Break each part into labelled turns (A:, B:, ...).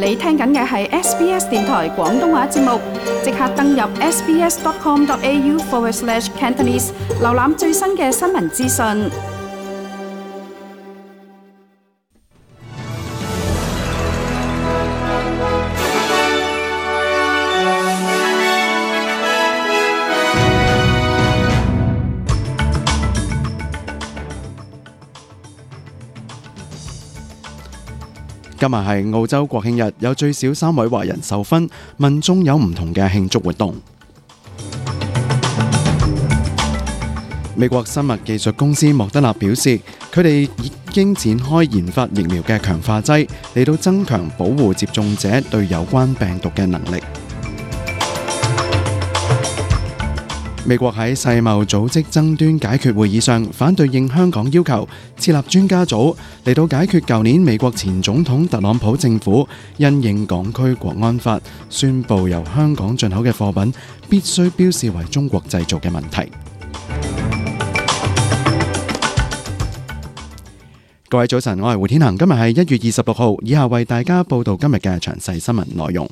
A: 你聽緊嘅係 SBS 電台廣東話節目，即刻登入 sbs.com.au/Cantonese， 瀏覽最新嘅新聞資訊。
B: 今日係澳洲國慶日，有最少3位華人授勳，民眾有唔同嘅慶祝活動。美國生物技術公司莫德納表示，佢哋已經展開研發疫苗嘅強化劑，嚟到增強保護接種者對有關病毒嘅能力。美國喺世貿組織爭端解決會議上反對應香港要求設立專家組，嚟到解決舊年美國前總統特朗普政府因應港區國安法宣布由香港進口嘅貨品必須標示為中國製造嘅問題。各位早晨，我係胡天恒，今日係1月26號，以下為大家報道今日嘅詳細新聞內容。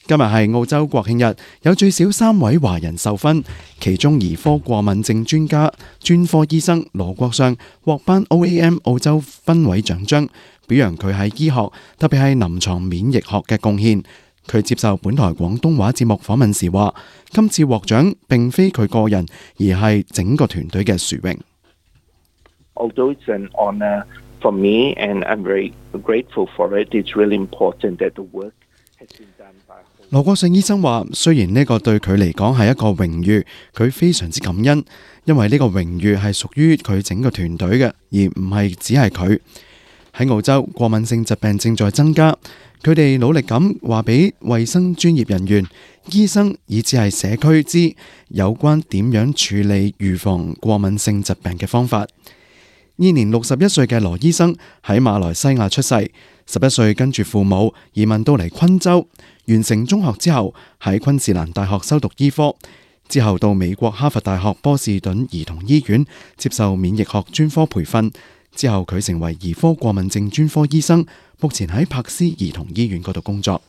B: 今日係澳洲國慶日，有最少3位華人授勳，其中兒科過敏症專科醫生羅國相獲頒 OAM 澳洲勳位獎章，表揚佢喺醫學，特別係臨床免疫學嘅貢獻。佢接受本台廣東話節目訪問時話，今次獲獎並非佢個人，而係整個團隊嘅殊榮。
C: Although it's an honor for me and I'm very grateful for it, it's really important that the work has been done by
B: 羅國相醫生話，雖然呢個對佢嚟講係一個榮譽，佢非常之感恩，因為呢個榮譽係屬於佢整個團隊嘅，而唔係只係佢。喺澳洲，過敏性疾病正在增加，佢哋努力咁話俾衛生專業人員、醫生以至係社區知有關點樣處理預防過敏性疾病嘅方法。現年61歲嘅羅醫生喺馬來西亞出世，11歲跟住父母移民到嚟昆州，完成中學之後喺昆士蘭大學修讀醫科，之後到美國哈佛大學波士頓兒童醫院接受免疫學專科培訓，之後佢成為兒科過敏症專科醫生，目前喺柏斯兒童醫院嗰度工作。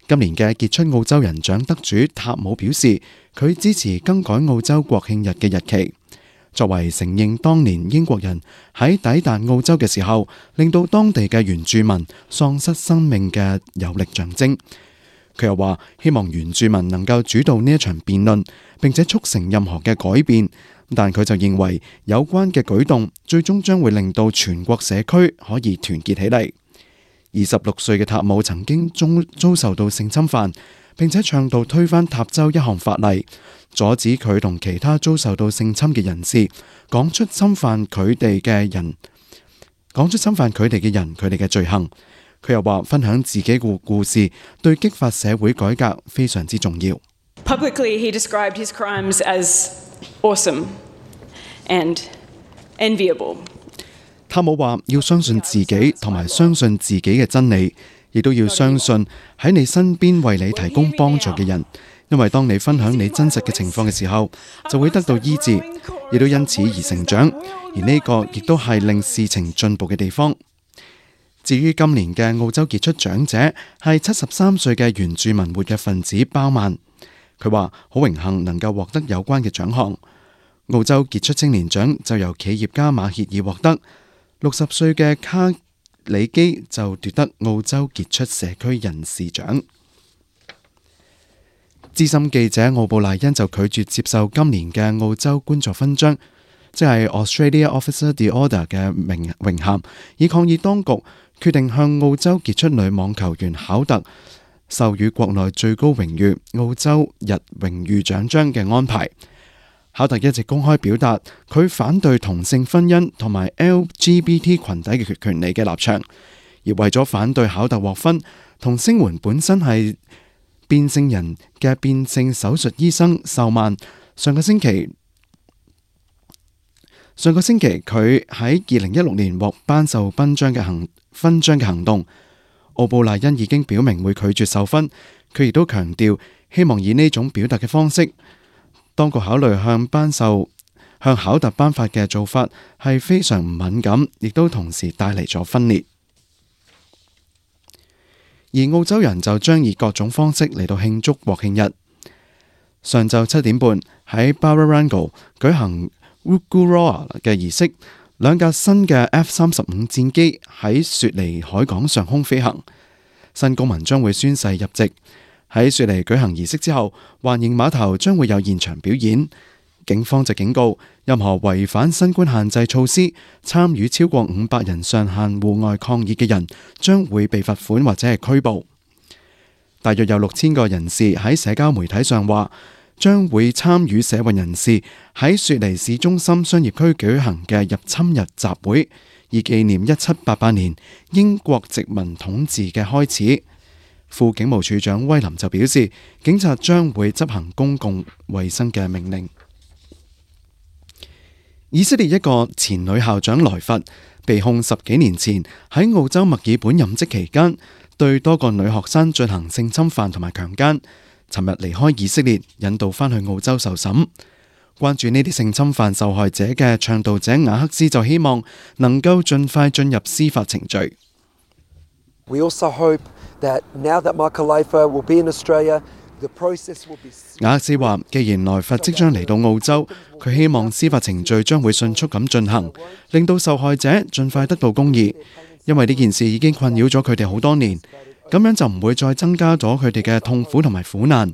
B: 今年嘅傑出澳洲人獎得主塔姆表示，佢支持更改澳洲國慶日嘅日期，作為承認當年英國人喺抵達澳洲嘅時候，令到當地嘅原住民喪失生命嘅有力象徵。佢又話，希望原住民能夠主導呢一場辯論，並且促成任何嘅改變。但佢就認為有關嘅舉動最終將會令到全國社區可以團結起嚟。26歲嘅塔姆曾經遭受到性侵犯，並且倡導推翻塔州一項法例，阻止佢同其他遭受到性侵嘅人士講出侵犯佢哋嘅人佢哋嘅罪行。佢又話，分享自己嘅故事對激發社會改革非常之重要。
D: Publicly, he described his crimes as awesome and enviable.
B: 塔姆話，要相信自己同埋相信自己嘅真理，亦都要相信喺你身邊為你提供幫助嘅人，因為當你分享你真實嘅情況嘅時候，就會得到醫治，亦都因此而成長，而呢個亦都係令事情進步嘅地方。至於今年嘅澳洲傑出獎者係73歲嘅原住民活躍分子包曼，佢話好榮幸能夠獲得有關嘅獎項。澳洲傑出青年獎就由企業家馬歇爾獲得，60歲嘅卡里基就奪得澳洲傑出社區人士獎。資深記者奧布萊恩就拒絕接受今年嘅澳洲官座勳章，即係 Australia Officer the Order 嘅榮銜，以抗議當局決定向澳洲傑出女網球員考特授予國內最高榮譽澳洲日榮譽獎章嘅安排。考特一直公開表達佢反對同性婚姻同埋 LGBT 群體嘅權利嘅立場，而為咗反對考特獲勳，同聲援本身係變性人嘅變性手術醫生秀曼，上個星期佢喺2016年獲頒授勳章嘅行動，奧布萊恩已經表明會拒絕授勳。佢亦都強調希望以呢種表達嘅方式，當局考慮向考特頒發嘅做法係非常唔敏感，亦都同時帶嚟咗分裂。而澳洲人就將以各種方式嚟到慶祝國慶日。上晝7點半喺 Barangaroo 舉行 Woogooroa 嘅儀式，兩架新嘅 F-35戰機喺雪梨海港上空飛行。新公民將會宣誓入籍。喺雪梨舉行儀式之後，環形碼頭將會有現場表演。警方就警告，任何違反新冠限制措施、參與超過500人上限戶外抗議嘅人，將會被罰款或者係拘捕。大約有6000個人士喺社交媒體上話，將會參與社運人士喺雪梨市中心商業區舉行嘅入侵日集會，以紀念1788年英國殖民統治嘅開始。副警務處長威林就表示，警察將會執行公共衛生嘅命令。以色列一個前女校長萊佛被控10幾年前喺澳洲墨爾本任職期間對多個女學生進行性侵犯同埋強姦，尋日離開以色列，引渡返去澳洲受審。關注呢啲性侵犯受害者嘅倡導者雅克斯就希望能夠盡快進入司法程序。
E: We also hope that now that Michael Leifer will be in Australia, the process will be.
B: 雅克斯話，既然萊佛即將嚟到澳洲，佢希望司法程序將會迅速咁進行，令到受害者盡快得到公義，因為呢件事已經困擾咗佢哋好多年，咁樣就唔會再增加咗佢哋嘅痛苦同埋苦難。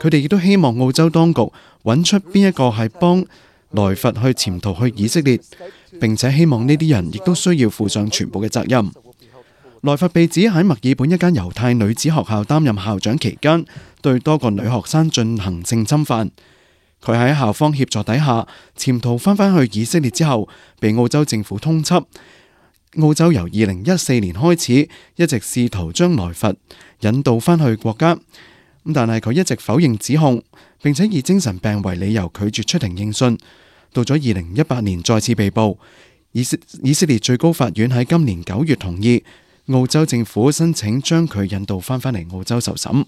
B: 佢哋亦都希望澳洲當局揾出邊一個係幫萊佛去潛逃去以色列，並且希望呢啲人亦都需要負上全部嘅責任。萊佛被指喺墨爾本一間猶太女子學校擔任校長期間，對多個女學生進行性侵犯。佢喺校方協助底下潛逃返去以色列之後，被澳洲政府通緝。澳洲由2014年開始一直試圖將萊佛引渡返去國家，但係佢一直否認指控，並且以精神病為理由拒絕出庭應訊。到咗2018年再次被捕。以色列最高法院喺今年9月同意澳洲政府申請將佢引渡返嚟澳洲受審。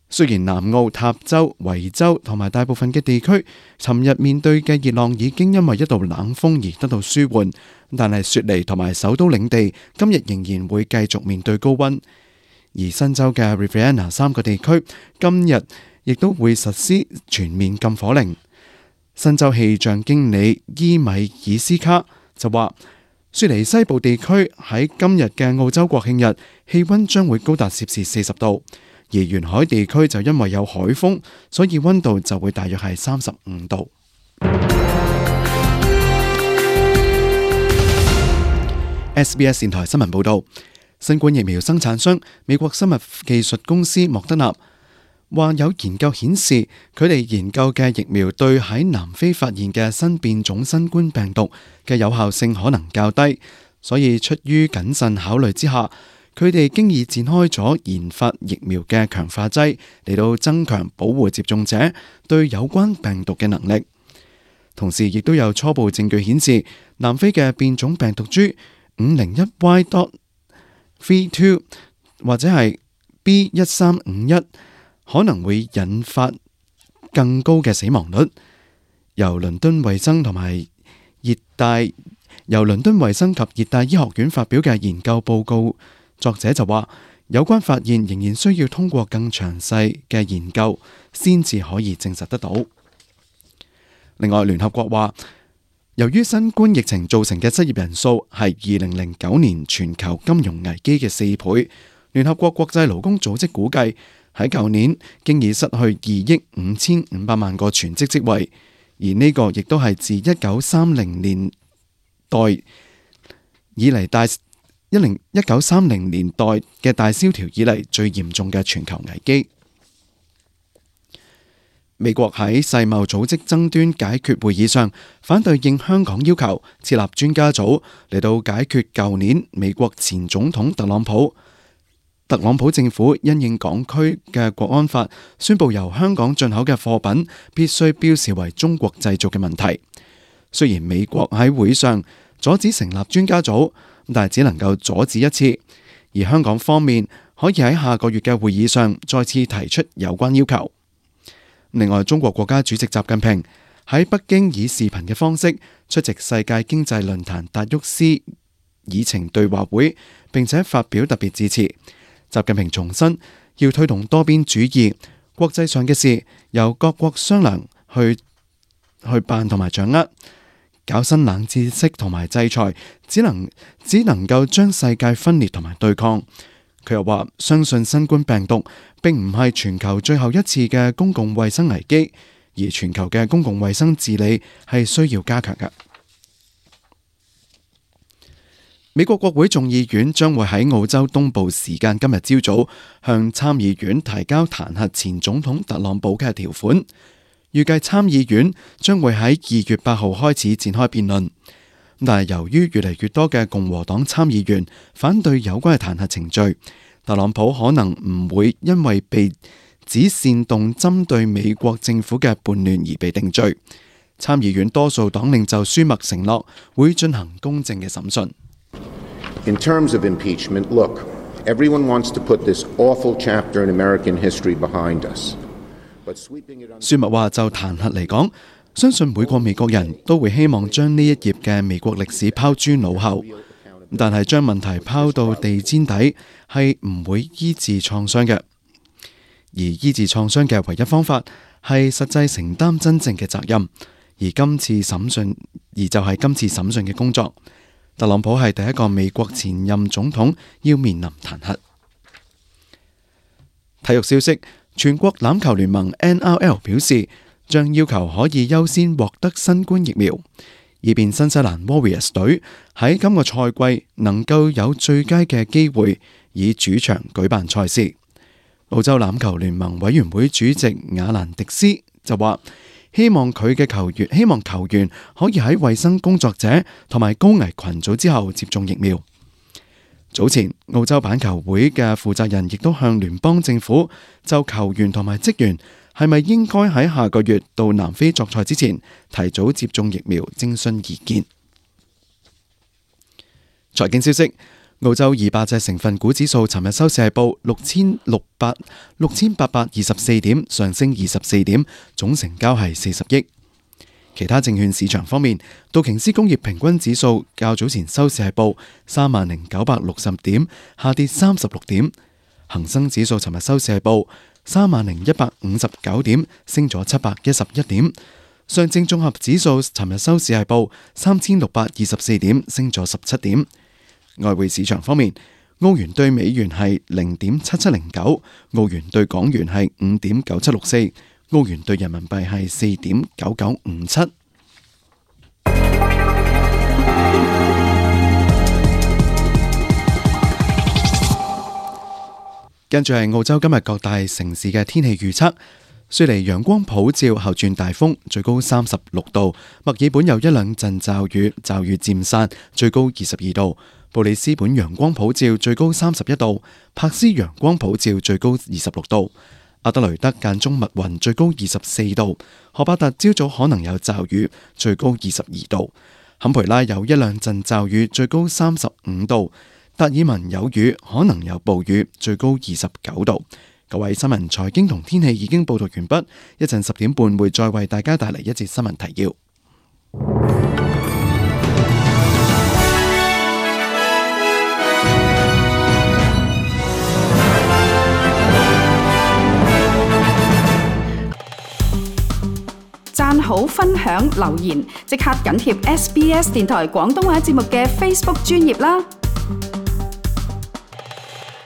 B: 雖然南澳、塔州、維州同埋大部分嘅地區尋日面對嘅熱浪已經因為一道冷鋒而得到舒緩，但係雪梨同埋首都領地今日仍然會繼續面對高溫。而新州嘅 Riverina 3個地區今日亦都會實施全面禁火令。新州氣象經理伊米爾斯卡就話，雪梨西部地區喺今日嘅澳洲國慶日氣溫將會高達攝氏40度，而沿海地區就因為有海風，所以溫度就會大約係35度。SBS 電台新聞報道，新冠疫苗生產商美國生物技術公司莫德納話，有研究顯示佢哋研究嘅疫苗對喺南非發現嘅新變種新冠病毒嘅有效性可能較低，所以出於謹慎考慮之下，佢哋經已展開咗研發疫苗嘅強化劑，嚟到增強保護接種者對有關病毒嘅能力。同時亦都有初步證據顯示，南非嘅變種病毒株 501Y.32 或者係 B1351可能會引發更高嘅死亡率。由倫敦衛生及熱帶醫學院發表嘅研究報告，作者就話，有關發現仍然需要通過更詳細嘅研究先至可以證實得到。另外，聯合國話，由於新冠疫情造成嘅失業人數係2009年全球金融危機嘅4倍，聯合國國際勞工組織估計，喺舊年經已失去2億5500萬個全職職位，而呢個亦都係自1930年代以嚟1930年代嘅大蕭條以嚟最嚴重嘅全球危機。美國喺世貿組織爭端解決會議上反對應香港要求設立專家組嚟到解決舊年美國前總統特朗普政府因應港區嘅國安法，宣布由香港進口嘅貨品必須標示為中國製造嘅問題。雖然美國喺會上阻止成立專家組，但係只能夠阻止一次，而香港方面可以喺下個月嘅會議上再次提出有關要求。另外，中國國家主席習近平喺北京以視頻嘅方式出席世界經濟論壇達沃斯議程對話會，並且發表特別致辭。習近平重申要推動多邊主義，國際上嘅事由各國商量去辦同埋掌握，搞新冷知識同埋制裁，只能夠將世界分裂同埋對抗。佢又話相信新冠病毒並唔係全球最後一次嘅公共衛生危機，而全球嘅公共衛生治理係需要加強嘅。美國國會眾議院將會喺澳洲東部時間今日朝早向參議院提交彈劾前總統特朗普嘅條款，預計參議院將會喺2月8號開始展開辯論。但係由於越嚟越多嘅共和黨參議員反對有關嘅彈劾程序，特朗普可能唔會因為被指煽動針對美國政府嘅叛亂而被定罪。參議院多數黨領袖舒默承諾會進行公正嘅審訊。
F: In terms of impeachment, look, everyone wants to put this awful chapter in American history behind us. But sweeping it under...
B: 舒默話就彈劾嚟講，相信每個美國人都會希望將呢一頁嘅美國歷史拋諸腦後，但係將問題拋到地毯底係唔會醫治創傷嘅，而醫治創傷嘅唯一方法係實際承擔真正嘅責任，而就係今次審訊嘅工作。特朗普係第一個美國前任總統要面臨彈劾。體育消息，全國欖球聯盟 NRL 表示，將要求可以優先獲得新冠疫苗，以便新西蘭 Warriors 隊喺今個賽季能夠有最佳嘅機會以主場舉辦賽事。澳洲欖球聯盟委員會主席亞蘭迪斯就話，希望球員可以喺衛生工作者同埋高危群組之後接種疫苗。早前澳洲板球會嘅負責人亦都向聯邦政府就球員同埋職員係咪應該喺下個月到南非作賽之前提早接種疫苗徵詢意見。財經消息，澳洲200隻成分股指數尋日收市係報6824點，上升24點，總成交係40億。其他證券市場方面，道瓊斯工業平均指數較早前收市係報30,960點，下跌36點。恒生指數尋日收市係報30,159點，升咗711點。上證綜合指數尋日收市係報3,624點，升咗17點。外匯市場方面，澳元對美元係0.7709，澳元對港元係5.9764，澳元對人民幣係4.9957。跟住係澳洲今日各大城市嘅天氣預測。雪梨陽光普照，後轉大風，最高36度；墨爾本有一兩陣驟雨，驟雨漸散，最高22度；布里斯本陽光普照，最高31度；柏斯陽光普照，最高26度；阿德雷德間中密雲，最高24度；荷伯特朝早可能有驟雨，最高22度；坎培拉有一兩陣驟雨，最高35度；達爾文有雨，可能有暴雨，最高29度。各位新聞、財經同天氣已經報道完畢，一陣10點半會再為大家帶嚟一節新聞提要。
A: 讚好、分享、留言，即刻緊貼SBS 電台廣東話節目嘅 Facebook 專頁啦！